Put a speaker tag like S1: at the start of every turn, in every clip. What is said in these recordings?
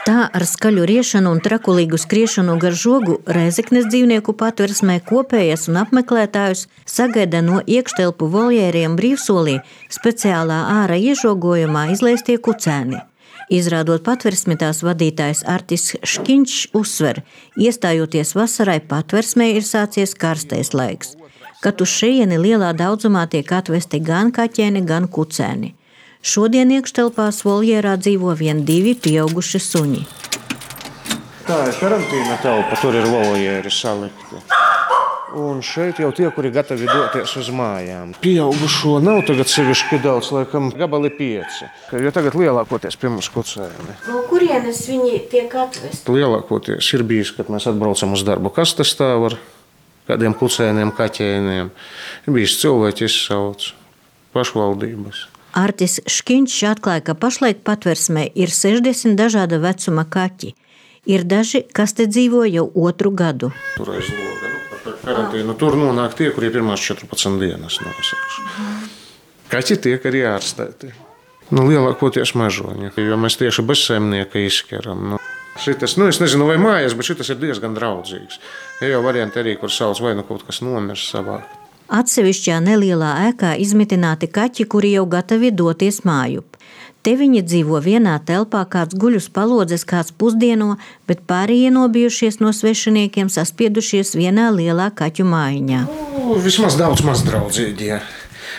S1: Tā ar skaļu riešanu un trakulīgu skriešanu gar žogu Rēzeknes dzīvnieku patversmē kopējas un apmeklētājus sagaida no iekštelpu voljēriem brīvsolī speciālā ārā iežogojumā izlaistie kucēni. Izrādot patversmi, tās vadītājs Artis Škiņš uzsver, iestājoties vasarai patversmē ir sācies karstais laiks, kad uz šejieni lielā daudzumā tiek atvesti gan kaķēni, gan kucēni. Šodien iekštelpās voljērā dzīvo vien 2 pieauguši suņi.
S2: Tā ir karantīna telpa, tur ir voljēri salikti. Un šeit jau tie, kuri gatavi doties uz mājām. Pieaugušo nav tagad sevišķi daudz, laikam gabali 5. Jo tagad lielākoties pie mums kucēni.
S1: No kurienes viņi tiek atvesti?
S2: Lielākoties ir bijis, kad mēs atbraucam uz darbu kastes stāv ar kādiem kucēniem, kaķēniem. Ir bijis cilvēki izsauc pašvaldības.
S1: Artis Škiņš atklāja, ka pašlaik patversmē ir 60 dažāda vecuma kaķi. Ir daži, kas te dzīvo jau 2. gadu.
S2: Tur aiz loga, par karantīnu. Tur nonāk tie, kuri pirmās 14 dienas nosauši. Kaķi tiek arī ārstēti. Lielākoties mežoņi, jo mēs tieši bez saimnieka izskeram. Šitas, es nezinu, vai mājas, bet šitas ir diezgan draudzīgs. Ir jau varianti arī, kur sauc vai kaut kas nomirs savākt.
S1: Atsevišķā nelielā ēkā izmitināti kaķi, kuri jau gatavi doties mājup. Te viņi dzīvo vienā telpā, kāds guļ uz palodzes, kāds pusdieno, bet pārējie nobijušies no svešiniekiem saspiedušies vienā lielā kaķu mājiņā.
S2: Vismaz daudz mazdraudzīgie.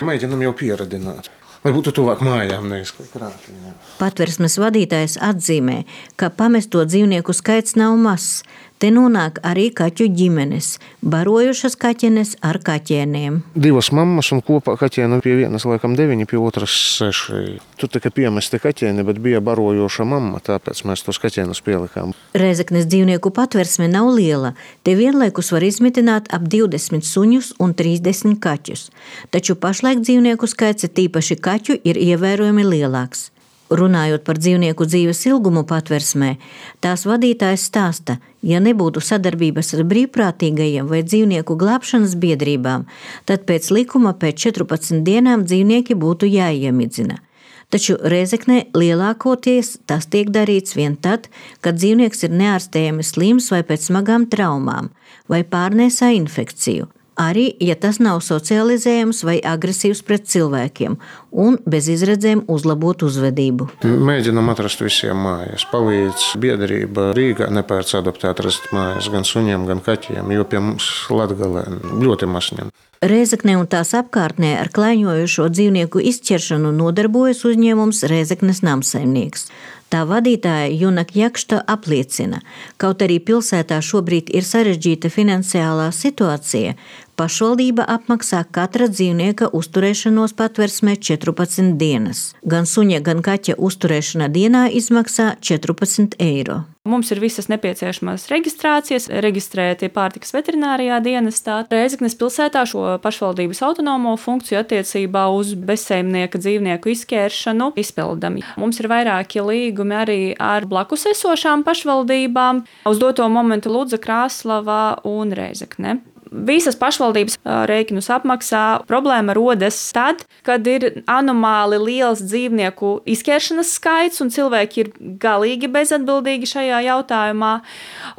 S2: Mēģinam jau pieradināt, lai būtu tuvāk mājām, nevis krātiņā.
S1: Patversmes vadītājs atzīmē, ka pamesto dzīvnieku skaits nav mazs. Te nonāk arī kaķu ģimenes, barojušas kaķenes ar kaķēniem.
S2: 2 mammas un kopā kaķēnu pie vienas laikam 9, pie otras 6. Tur tika piemesti kaķēni, bet bija barojoša mamma, tāpēc mēs tos kaķēnus pielikām.
S1: Rēzeknes dzīvnieku patversme nav liela. Te vienlaikus var izmitināt ap 20 suņus un 30 kaķus. Taču pašlaik dzīvnieku skaits, tīpaši kaķu, ir ievērojami lielāks. Runājot par dzīvnieku dzīves ilgumu patversmē, tās vadītājs stāsta, ja nebūtu sadarbības ar brīvprātīgajiem vai dzīvnieku glābšanas biedrībām, tad pēc likuma pēc 14 dienām dzīvnieki būtu jāiemidzina. Taču Rēzeknē lielākoties tas tiek darīts vien tad, kad dzīvnieks ir neārstējami slims vai pēc smagām traumām, vai pārnēsā infekciju. Arī, ja tas nav socializējams vai agresīvs pret cilvēkiem un bez izredzēm uzlabot uzvedību.
S2: Mēģinam atrast visiem mājas. Palīdz biedrība Rīgā nepērc adoptēt rast mājas gan suņiem, gan kaķiem, jo pie mums Latgalē ļoti masņem.
S1: Rēzeknē un tās apkārtnē ar klaiņojošo dzīvnieku izķeršanu nodarbojas uzņēmums Rēzeknes namsaimnieks. Tā vadītāja Junak Jakšta apliecina, kaut arī pilsētā šobrīd ir sarežģīta finansiālā situācija, pašvaldība apmaksā katra dzīvnieka uzturēšanos patversmē 14 dienas. Gan suņa, gan kaķa uzturēšana dienā izmaksā 14 eiro.
S3: Mums ir visas nepieciešamās reģistrācijas, reģistrēti pārtikas veterinārijā dienestā. Rēzeknes pilsētā šo pašvaldības autonomo funkciju attiecībā uz bezsaimnieka dzīvnieku izķēršanu izpildam. Mums ir vairāki līgumi arī ar blakus esošām pašvaldībām. Uz doto momentu Ludza, Krāslava un Rēzekne. Visas pašvaldības rēķinus apmaksā. Problēma rodas tad, kad ir anomāli liels dzīvnieku izķeršanas skaits un cilvēki ir galīgi bezatbildīgi šajā jautājumā.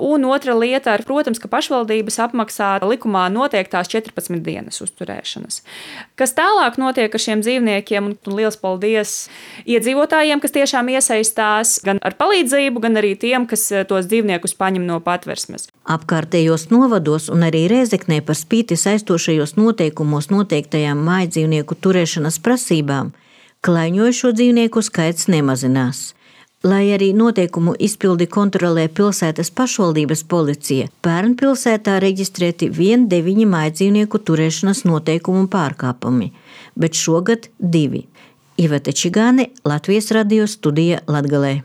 S3: Un otra lieta ir, protams, ka pašvaldības apmaksā likumā noteiktās 14 dienas uzturēšanas. Kas tālāk notiek ar šiem dzīvniekiem, un liels paldies iedzīvotājiem, kas tiešām iesaistās gan ar palīdzību, gan arī tiem, kas tos dzīvniekus paņem no patversmes.
S1: Apkārtējos novados un arī Rēzeknē par spīti saistošajos noteikumos noteiktajām mājdzīvnieku turēšanas prasībām, klaiņojošo dzīvnieku skaits nemazinās. Lai arī noteikumu izpildi kontrolē pilsētas pašvaldības policija, pērn pilsētā reģistrēti vien 9 mājdzīvnieku turēšanas noteikumu pārkāpumi, bet šogad 2. Ivete Čigāne, Latvijas radio studija Latgalē.